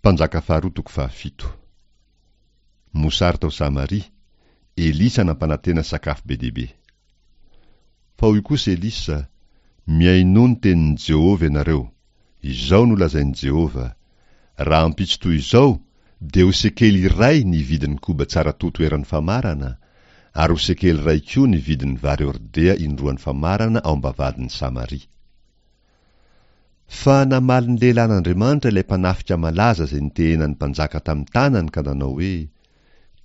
Mpanjaka faharoa toko fahafito. Mosary tao Samaria, Elisa nampanantena sakafo be dia be. Fa hoy kosa Elisa, Mihainoa ny tenin'i Jehovah ianareo. Izao no lazain'i Jehovah, Rahampitso toy izao dia ho sekely iray ny vidin'ny koba tsara toto eran'ny famarana, ary ho sekely iray koa ny vidin'ny vary hordea indroan'ny famarana ao am-bavahadin'i Samaria. Fa namaly ny lehilahin'Andriamanitra ilay mpanafika malaza izay nitehenan'ny mpanjaka tamin'ny tanany ka nanao hoe,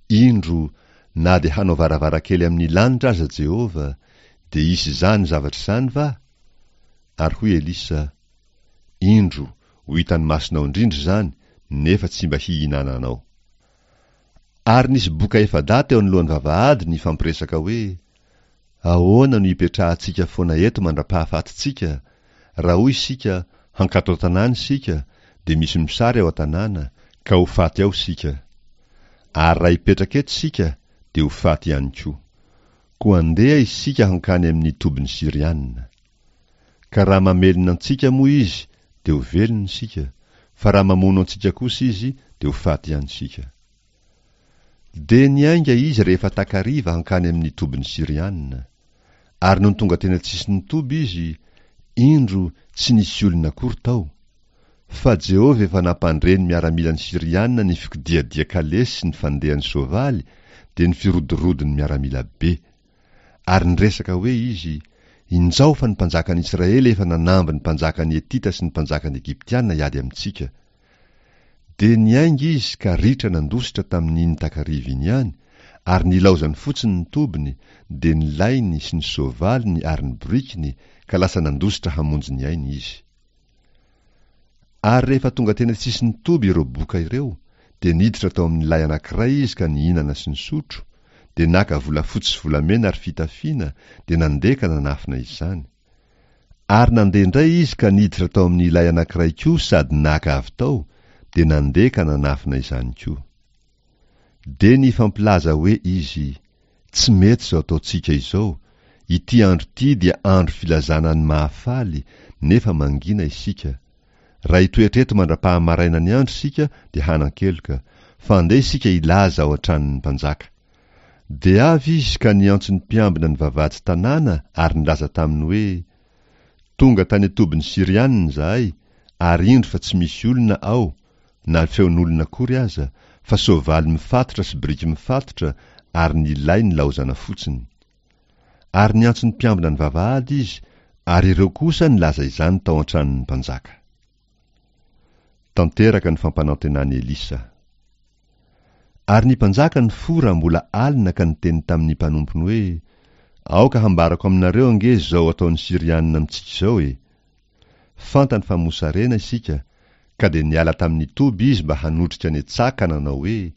Indro, na dia hanao varavarankely amin'ny lanitra aza Jehovah, dia hisy izany zavatra izany va? Ary hoy Elisa, Indro, ho hitan'ny masonao indrindra izany, nefa tsy mba hihinananao. Ary nisy boka efa-dahy teo anoloan'ny vavahady nifampiresaka hoe, Ahoana no hipetrahantsika foana eto mandra-pahafatintsika? Raha hoy isika, Hankato an-tanàna isika, dia misy mosary ao an-tanàna, ka ho faty ao isika. Ary raha hipetraka eto isika, dia ho faty ihany koa. Koa andeha isika hankany amin'ny tobin'ny Syriana. Ka raha mamelona antsika moa izy, dia ho velona isika, fa raha mamono antsika kosa izy, dia ho faty ihany isika. Dia niainga izy rehefa takariva hankany amin'ny tobin'ny Syriana. Ary nony tonga teny an-tsisin'ny toby izy, indro, tsy nisy olona akory tao. Fa Jehovah efa nampandre ny miaramilan'ny Syriana ny fikodiadia kalesy sy ny fandehan'ny soavaly, dia ny firodorodon'ny miaramila be. Ary niresaka hoe izy, Injao fa ny mpanjakan'i Israely efa nanamby ny mpanjakan'ny Hetita sy ny mpanjakan'ny Egyptiana hiady amintsika. Dia niainga izy ka ritra nandositra tamin'iny takariva iny ihany, ary nilaozany fotsiny ny tobiny, dia ny lainy sy ny soavaliny ary ny borikiny, ka lasa nandositra hamonjy ny ainy izy. Ary rehefa tonga teny an-tsisin'ny toby ireo boka ireo, dia niditra tao amin'ny lay anankiray izy ka nihinana sy nisotro, dia naka volafotsy sy volamena ary fitafiana, dia nandeha ka nanafina izany. Ary nandeha indray izy ka niditra tao amin'ny ilay anankiray koa sady naka avy tao, dia nandeha ka nanafina izany koa. Dia nifampilaza hoe izy, Tsy mety izao ataontsika izao, ity andro ity dia andro filazana ny mahafaly, nefa mangina isika. Raha hitoetra eto mandra-pahamaraina ny andro isika dia hanan-keloka, fa andeha isika hilaza ao an-tranon'ny mpanjaka. Dia avy izy ka niantso ny mpiambina ny vavahady tanàna ary nilaza taminy hoe, Tonga tany an-tobin'ny Syrianina izahay, ary indro fa tsy misy olona ao, na feon'olona akory aza, fa soavaly mifatotra sy biriky mifatotra ary ny lay nilaozana fotsiny. Ary niantso ny mpiambina ny vavahady izy, ary ireo kosa nilaza izany tao an-tranon'ny mpanjaka. Tanteraka ny fampanantenan'i Elisa. Ary ny mpanjaka nifoha raha mbola alina ka niteny tamin'ny mpanompony hoe, Aoka hambarako aminareo ange izao ataon'ny Syrianina amintsika izao e! Fantany fa mosarena isika, ka dia niala tamin'ny toby izy mba hanotrika any an-tsaha ka nanao hoe,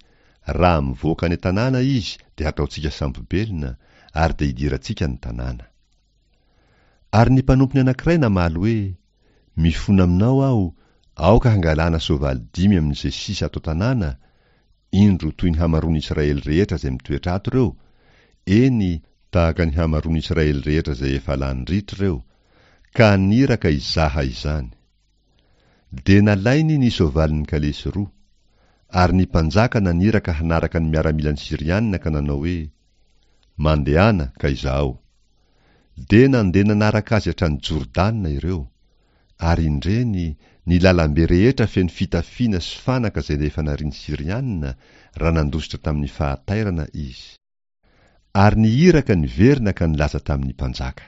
Raha mivoaka any an-tanàna izy dia hataontsika sambo-belona, ary dia hidirantsika ny tanàna. Ary ny mpanompony anankiray namaly hoe, Mifona aminao aho, aoka hangalana soavaly dimy amin'izay sisa ato an-tanàna, indro toy ny hamaroan'Israely rehetra izay mitoetra ato ireo, eny, tahaka ny hamaroan'Israely rehetra izay efa lany ritra ireo, ka haniraka hizaha izany. Dia nalainy ny soavalin'ny kalesy roa. Ary ny mpanjaka naniraka hanaraka ny miaramilan'ny Syriana ka nanao hoe, Mandehana ka izahao. Dia nandeha nanaraka azy hatrany Jordana ireo. Ary indreny, ny lalambe rehetra feno fitafiana sy fanaka izay efa narian'ny Syriana, raha nandositra tamin'ny fahatairana izy. Ary ny iraka niverina ka nilaza tamin'ny mpanjaka.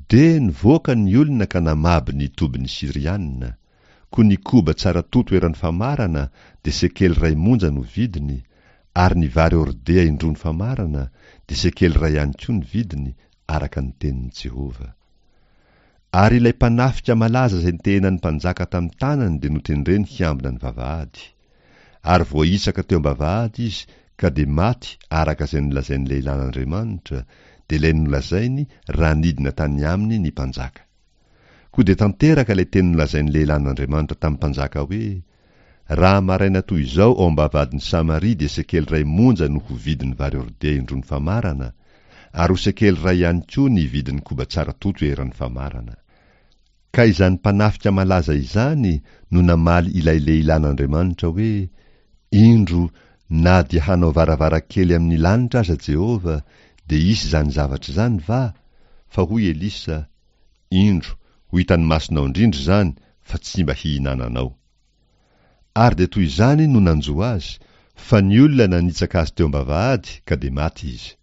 Dia nivoaka ny olona ka namabo ny tobin'ny Syriana. Koa ny koba tsara toto eran'ny famarana dia sekely iray monja no vidiny, ary ny vary hordea indroa ny famarana dia sekely iray ihany koa ny vidiny, araka ny tenin'i Jehovah. Ary ilay mpanafika malaza izay nitehenan'ny mpanjaka tamin'ny tanany dia notendreny hiambina ny vavahady. Ary voahisaka teo am-bavahady izy ka dia maty araka izay nolazain'ny lehilahin'Andriamanitra, dia ilay nolazainy raha nidina tany aminy ny mpanjaka. Koa dia tanteraka ilay teny nolazain'ny lehilahin'Andriamanitra tamin'ny mpanjaka hoe, Raha maraina toy izao ao am-bavahadin'i Samaria dia sekely iray monja no ho vidin'ny vary hordea indroa ny famarana, ary ho sekely iray ihany koa ny vidin'ny koba tsara toto eran'ny famarana. Ka izany mpanafika malaza izany no namaly ilay lehilahin'Andriamanitra hoe, Indro, na dia hanao varavarankely amin'ny lanitra aza Jehovah, dia hisy izany zavatra izany va? Fa hoy Elisa, Indro, ho hitan'ny masonao indrindra izany, fa tsy mba hihinananao. Ary dia toy izany no nanjo azy, fa ny olona nanitsaka azy teo am-bavahady, ka dia maty izy.